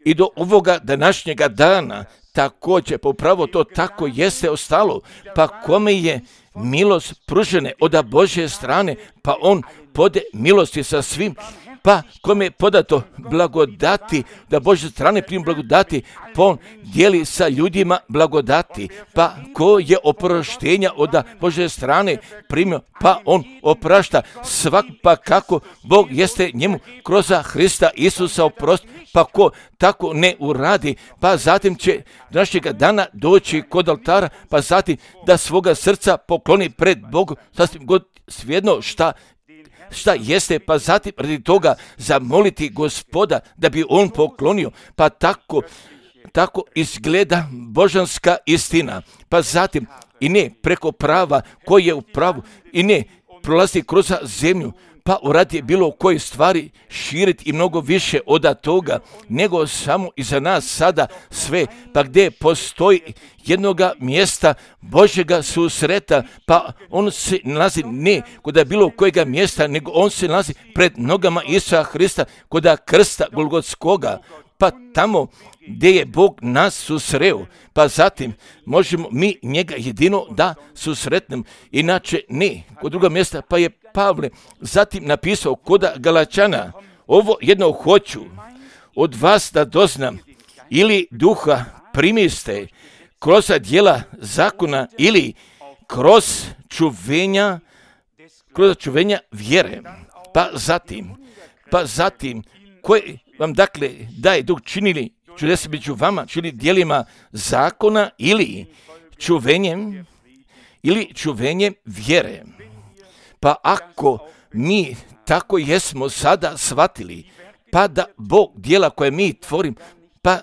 i do ovoga današnjega dana također, popravo to tako jeste ostalo, pa kome je milost pružene od Božje strane, pa on pode milosti sa svim, pa kome je podato blagodati, da Božje strane primi blagodati, pa on dijeli sa ljudima blagodati, pa ko je oproštenja od Božje strane primio, pa on oprašta svak, pa kako Bog jeste njemu kroz Hrista Isusa oprosti, pa ko tako ne uradi, pa zatim će današnjega dana doći kod oltara, pa zatim da svoga srca pokloni pred Bogom, sasvim god svejedno šta jeste, pa zatim radi toga zamoliti Gospoda da bi on poklonio, pa tako izgleda božanska istina, pa zatim i ne preko prava koji je u pravu i ne prolazi kroz zemlju, pa uradi bilo koje stvari širiti i mnogo više od toga, nego samo iza nas sada sve, pa gdje postoji jednoga mjesta Božjega susreta, pa on se nalazi ne kod bilo kojega mjesta, nego on se nalazi pred nogama Isusa Hrista, kod krsta Golgotskoga, pa tamo gdje je Bog nas susreo, pa zatim možemo mi njega jedino da susretnemo, inače ne. Kod druga mjesta pa je Pavle zatim napisao kod Galačana, ovo jedno hoću od vas da doznam, ili duha primiste kroz djela zakona ili kroz čuvenja vjere. Pa zatim, koje vam dakle daje Duh činili čudesa među vama, čini djelima zakona ili čuvenjem vjere. Pa ako mi tako jesmo sada shvatili, pa da Bog djela koje mi tvorim, pa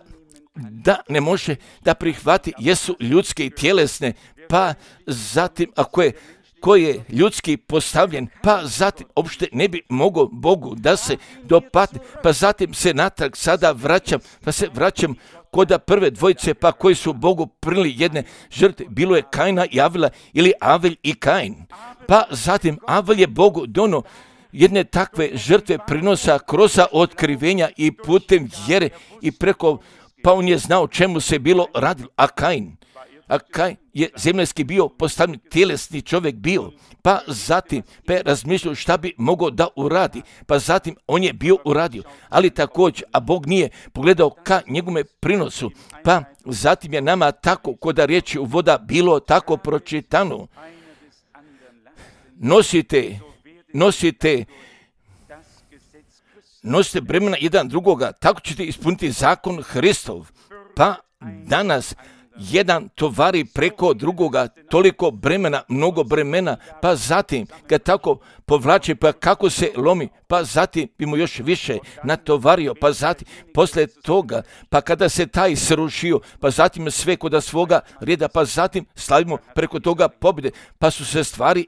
da ne može da prihvati jesu ljudske i tjelesne, pa zatim ako je koji je ljudski postavljen, pa zatim uopšte ne bi mogao Bogu da se dopadne, pa zatim se natrag sada vraćam kod prve dvojice, pa koji su Bogu prinijeli jedne žrtve, bilo je Kaina i Avela ili Avelj i Kain. Pa zatim Avelj je Bogu dono jedne takve žrtve prinosa kroz otkrivenja i putem vjere i preko, pa on je znao čemu se bilo radilo, a Kain je zemaljski bio postavljen, tjelesni čovjek bio, pa zatim je razmišljao šta bi mogao da uradi, pa zatim on je bio uradio, ali također, a Bog nije pogledao ka njegome prinosu, pa zatim je nama tako kod riječi u voda bilo tako pročitano. Nosite bremena jedan drugoga, tako ćete ispuniti zakon Hristov. Pa danas jedan tovari preko drugoga, toliko bremena, mnogo bremena, pa zatim kad tako povlači, pa kako se lomi, pa zatim bi mu još više natovario, pa zatim posle toga, pa kada se taj srušio, pa zatim sve kod svoga reda, pa zatim slavimo preko toga pobjede, pa su se stvari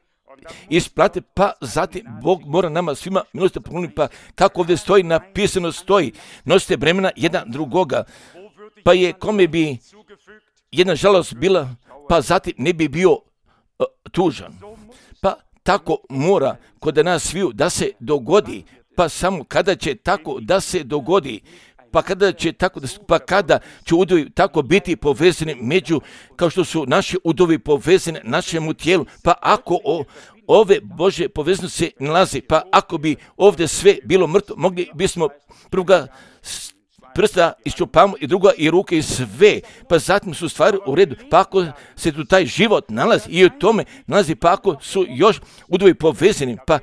isplate, pa zatim Bog mora nama svima milosti pokloniti, pa kako ovdje stoji, napisano stoji, nosite bremena jedan drugoga, pa je kome bi jedna žalost bila, pa zatim ne bi bio tužan. Pa tako mora kod nas sviju da se dogodi, pa samo kada će tako da se dogodi, pa kada će udovi tako biti povezani među, kao što su naši udovi povezani našemu tijelu, pa ako ove Bože povezanosti se nalazi, pa ako bi ovdje sve bilo mrtvo, mogli bismo prvoga prsta iščupamo i druga i ruke i sve, pa zatim su stvari u redu, pa ako se tu taj život nalazi i u tome nalazi, pa ako su još udovi povezani, pa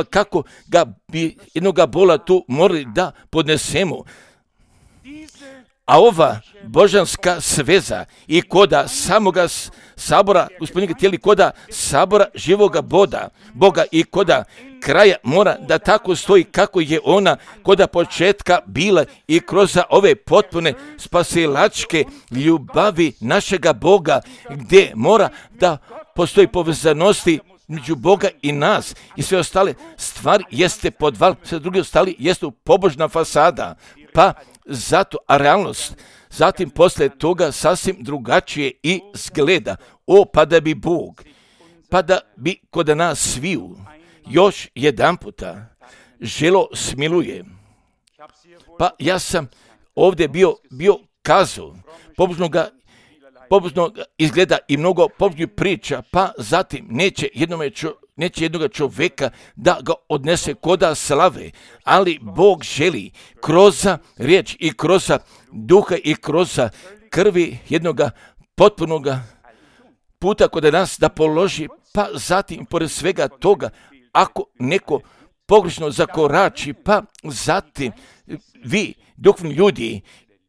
kako ga bi jednoga bola tu morali da podnesemo. A ova božanska sveza i koda samoga sabora, gospodinjega tijeli koda sabora živoga Boga i koda kraja mora da tako stoji kako je ona koda početka bila i kroz ove potpune spasilačke ljubavi našega Boga, gdje mora da postoji povezanosti među Boga i nas i sve ostale stvari jeste podval, sve druge ostali jeste pobožna fasada, pa zato, a realnost zatim posle toga sasvim drugačije i zgleda. Pa da bi Bog, pa da bi kod nas sviju još jedan puta želo smiluje. Pa ja sam ovdje bio kazao, pobožno izgleda i mnogo pobožnih priča, pa zatim neće jednoga čovjeka da ga odnese koda slave, ali Bog želi kroz riječ i kroz duha i kroz krvi jednoga potpunoga puta kod nas da položi, pa zatim pored svega toga, ako neko pogrešno zakorači, pa zatim vi duhovni ljudi,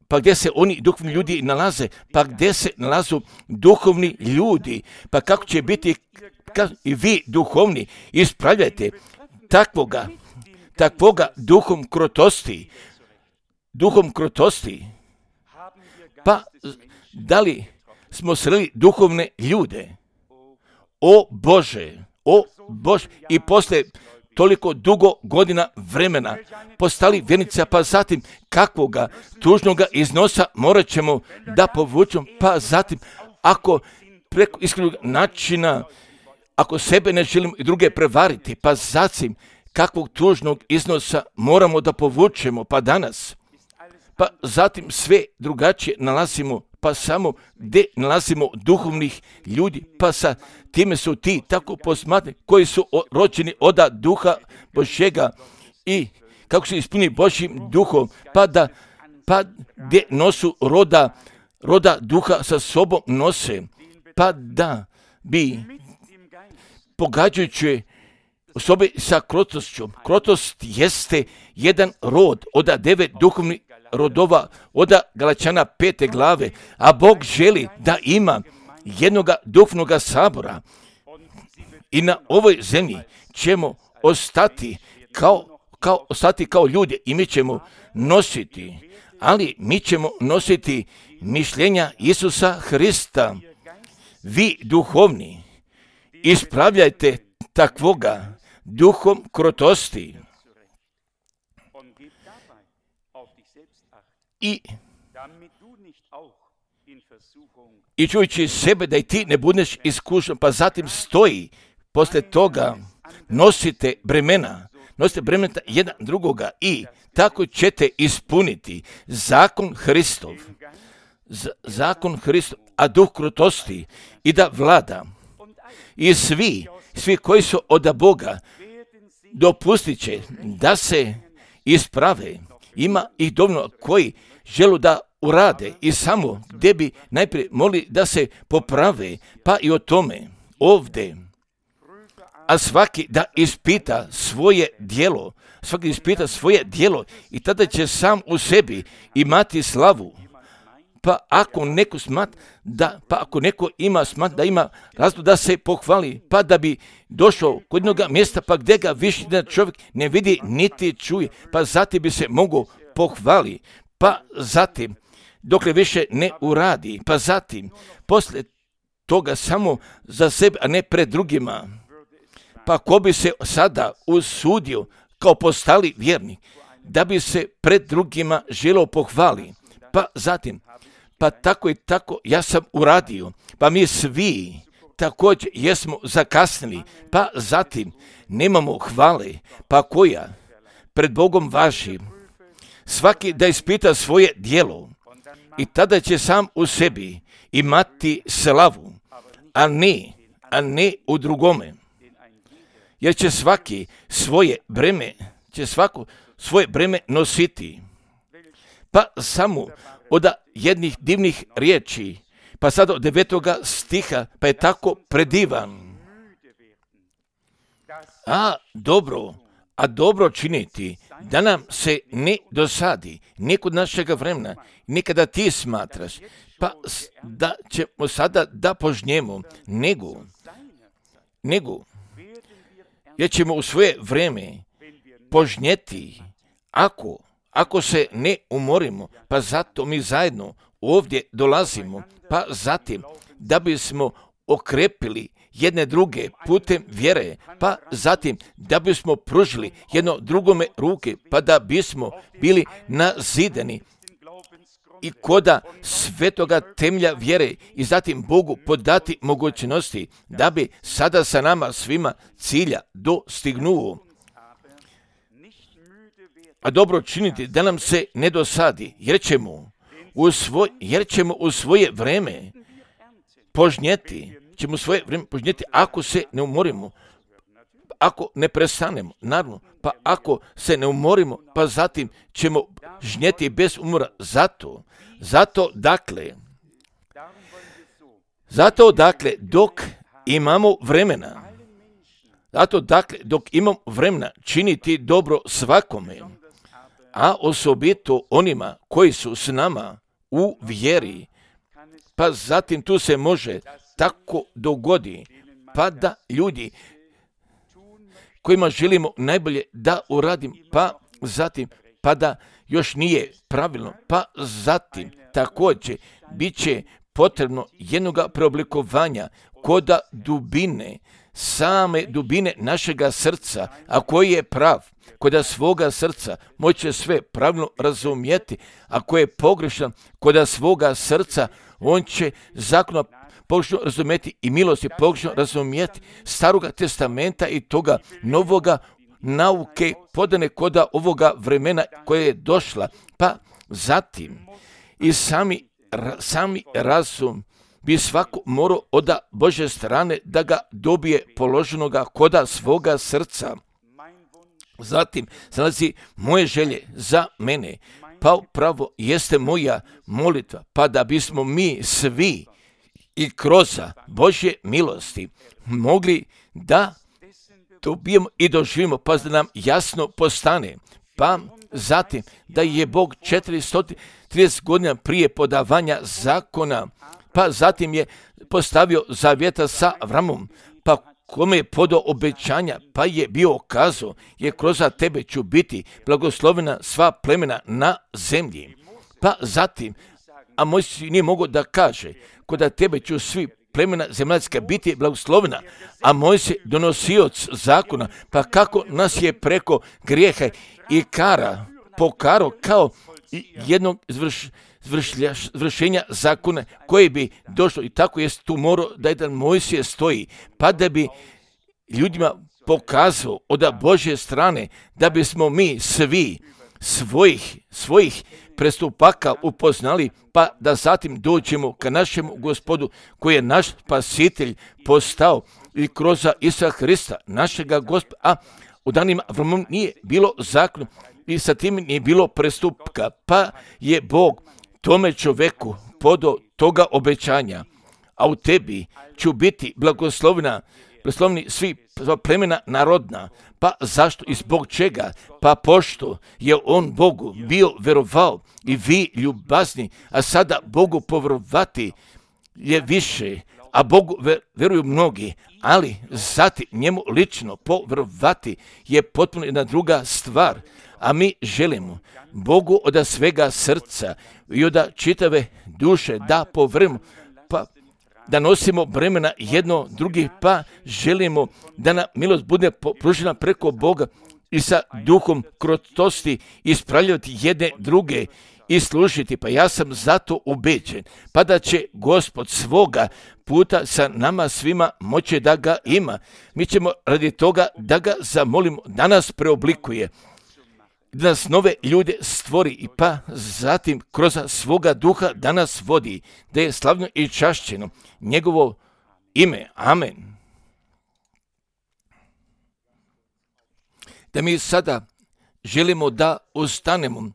pa gdje se oni duhovni ljudi nalaze, pa gdje se nalazu duhovni ljudi, pa kako će biti i vi duhovni, ispravljajte takvoga duhom krotosti, pa da li smo sreli duhovne ljude? O Bože, i posle toliko dugo godina vremena postali vjernica, pa zatim kakvoga tužnoga iznosa morat ćemo da povučemo, pa zatim ako preko iskrenog načina, ako sebe ne želimo i druge prevariti, pa zatim kakvog tužnog iznosa moramo da povučemo, pa danas, pa zatim sve drugačije nalazimo, pa samo gdje nalazimo duhovnih ljudi, pa sa time su ti tako posmatrani koji su rođeni od duha Božjega i kako se ispuni Božjim duhom, pa gdje nosu roda duha sa sobom nose, pa da bi pogađajući osobe sa krotošću. Krotost jeste jedan rod od 9 duhovnih rodova od Galačana 5. glave, a Bog želi da ima jednoga duhovnog sabora i na ovoj zemlji ćemo ostati kao ljudi i mi ćemo nositi, ali mi ćemo nositi mišljenja Isusa Hrista. Vi duhovni, ispravljajte takvoga duhom krotosti i čujući sebe da i ti ne budeš iskušan, pa zatim stoji poslije toga nosite bremena jedan drugoga i tako ćete ispuniti zakon Hristov, a duh krotosti i da vlada. I svi koji su od Boga dopustit će da se isprave. Ima ih dovoljno koji žele da urade i samo gdje bi najprije mogli da se poprave, pa i o tome ovdje. A svaki da ispita svoje djelo i tada će sam u sebi imati slavu. Pa ako neko ima da ima razlog da se pohvali, pa da bi došao kod jednog mjesta, pa gdje ga više čovjek ne vidi niti čuje, pa zatim bi se mogao pohvali, pa zatim dokle više ne uradi, pa zatim poslije toga samo za sebe, a ne pred drugima. Pa ko bi se sada usudio kao postali vjernik, da bi se pred drugima želeo pohvali, pa zatim, pa tako i tako ja sam uradio, pa mi svi također jesmo zakasnili, pa zatim nemamo hvale, pa koja pred Bogom važi. Svaki da ispita svoje djelo i tada će sam u sebi imati slavu, a ne u drugome. Jer će svako svoje breme nositi. Pa samo od jednih divnih riječi, pa sad od 9. stiha, pa je tako predivan. A dobro činiti, da nam se ne dosadi, nekod našega vremena, nekada ti smatraš, pa da ćemo sada da požnjemo, nego, jer ćemo u svoje vreme požnjeti, ako se ne umorimo, pa zato mi zajedno ovdje dolazimo, pa zatim da bismo okrepili jedne druge putem vjere, pa zatim da bismo pružili jedno drugome ruke, pa da bismo bili nazidani i koda svetoga temelja vjere i zatim Bogu podati mogućnosti da bi sada sa nama svima cilja dostignuo. A dobro činiti da nam se ne dosadi, jer ćemo u svoje vreme požnjeti, ako se ne umorimo, ako ne prestanemo, naravno, pa ako se ne umorimo, pa zatim ćemo žnjeti bez umora. Zato dakle, dok imamo vremena činiti dobro svakome, a osobito onima koji su s nama u vjeri, pa zatim tu se može tako dogodi, pa da ljudi kojima želimo najbolje da uradim, pa zatim, pa da još nije pravilno, pa zatim također bit će potrebno jednoga preoblikovanja koda same dubine našega srca, a koji je prav, koda svoga srca moće sve pravilno razumjeti, a koji je pogrešan, koda svoga srca on će zakona pogrešno razumjeti i milosti pogrešno razumjeti staroga testamenta i toga novoga nauke podane koda ovoga vremena koje je došla, pa Zatim, i sami razum bi svako morao od Božje strane da ga dobije položenoga koda svoga srca. Zatim nalazi moje želje za mene, pa upravo jeste moja molitva, pa da bismo mi svi i kroz Božje milosti mogli da dobijemo i doživimo, pa da nam jasno postane. Pa zatim da je Bog 430 godina prije podavanja zakona, pa zatim je postavio zavjeta sa Avramom, pa kome je podao obećanja, pa je bio kazao, je kroz tebe ću biti blagoslovena sva plemena na zemlji. Pa zatim, a Mojsije nije mogao da kaže, kod tebe ću svi plemena zemaljska biti blagoslovena, a Mojsije donosioc zakona, pa kako nas je preko grijeha i kara pokarao kao jednog izvršenja zakona koje bi došlo, i tako je tu morao da jedan Mojsije stoji, pa da bi ljudima pokazao od Božje strane da bismo mi svi svojih prestupaka upoznali, pa da zatim dođemo ka našemu Gospodu koji je naš spasitelj postao i kroz Isusa Hrista, našega Gospoda, a u danima Avramom nije bilo zakona i sa tim nije bilo prestupka, pa je Bog tome čoveku podao toga obećanja, a u tebi ću biti blagosloveni svi plemena narodna. Pa zašto i zbog čega? Pa pošto je on Bogu bio verovao i vi ljubazni, a sada Bogu povjerovati je više, a Bogu veruju mnogi, ali zatim njemu lično povjerovati je potpuno jedna druga stvar. A mi želimo Bogu od svega srca i od čitave duše da povjerujemo, pa da nosimo bremena jedno drugih, pa želimo da nam milost bude pružena preko Boga i sa duhom krotosti ispravljati jedne druge i služiti. Pa ja sam zato ubeđen, pa da će Gospod svoga puta sa nama svima moći da ga ima. Mi ćemo radi toga da ga zamolimo da nas preoblikuje, da nas nove ljude stvori i pa zatim kroz svoga duha da nas vodi, da je slavno i čašćeno njegovo ime. Amen. Da mi sada želimo da ustanemo,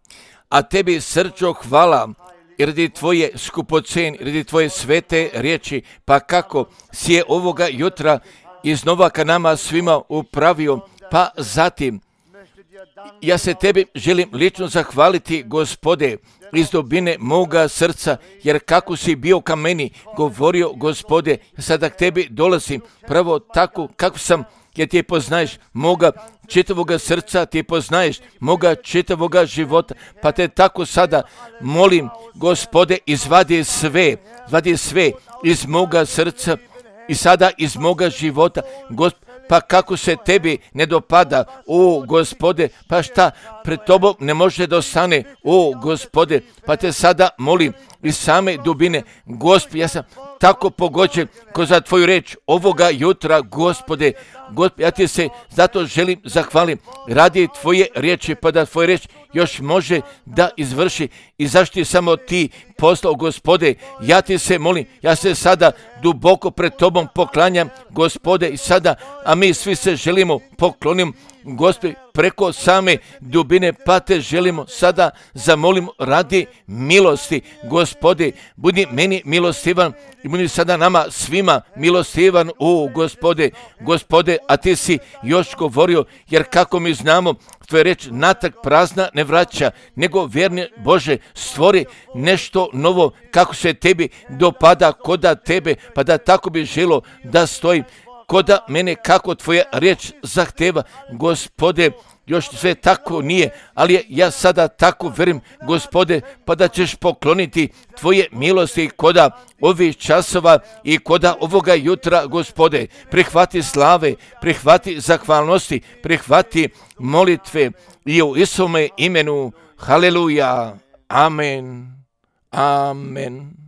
a tebi srčo hvala i radi tvoje skupocen, radi tvoje svete riječi, pa kako si je ovoga jutra iznova ka nama svima upravio, pa zatim ja se tebi želim lično zahvaliti, Gospode, iz dubine moga srca, jer kako si bio ka meni govorio, Gospode, sada k tebi dolazim pravo tako kako sam, jer ti poznaješ moga čitavoga srca, ti poznaješ moga čitavoga života, pa te tako sada molim, Gospode, izvadi sve iz moga srca i sada iz moga života, Gospode. Pa kako se tebi ne dopada, o Gospode, pa šta pred tobom ne može da ostane, o Gospode, pa te sada molim iz same dubine, Gospod, ja sam tako pogođen ko za tvoju reč ovoga jutra, Gospode, ja ti se zato želim zahvalim radi tvoje riječi, pa da tvoja riječ još može da izvrši i zašto samo ti poslao, Gospode, ja ti se molim, ja se sada duboko pred tobom poklanjam, Gospode, i sada, a mi svi se želimo poklonim, Gospode, preko same dubine, pa te želimo sada zamolimo radi milosti, Gospode, budi meni milostivan i budi sada nama svima milostivan, o Gospode, a ti si još govorio, jer kako mi znamo, tvoja reč natrag prazna ne vraća, nego vjerni Bože, stvori nešto novo kako se tebi dopada koda tebe, pa da tako bi želo da stojim koda mene kako tvoja riječ zahteva, Gospode, još sve tako nije, ali ja sada tako verim, Gospode, pa da ćeš pokloniti tvoje milosti koda ovih časova i koda ovoga jutra, Gospode, prihvati slave, prihvati zahvalnosti, prihvati molitve i u Isuse imenu, haleluja, amen, amen.